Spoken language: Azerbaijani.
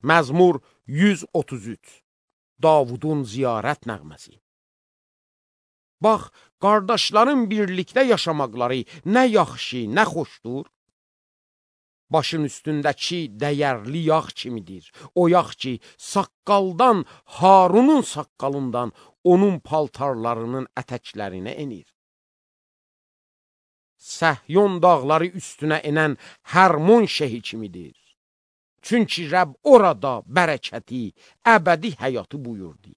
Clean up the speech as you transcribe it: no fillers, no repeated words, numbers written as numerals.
Məzmur 133. Davudun ziyarət nəğməsi. Bax, qardaşların birlikdə yaşamaqları nə yaxşı, nə xoşdur. Başın üstündəki dəyərli yağ kimidir. O yağ ki, saqqaldan, Harunun saqqalından onun paltarlarının ətəklərinə enir. Səhyon dağları üstünə enən Hərmon şehi kimidir. Çünki Rəbb orada bərəkəti, əbədi həyatı buyurdu.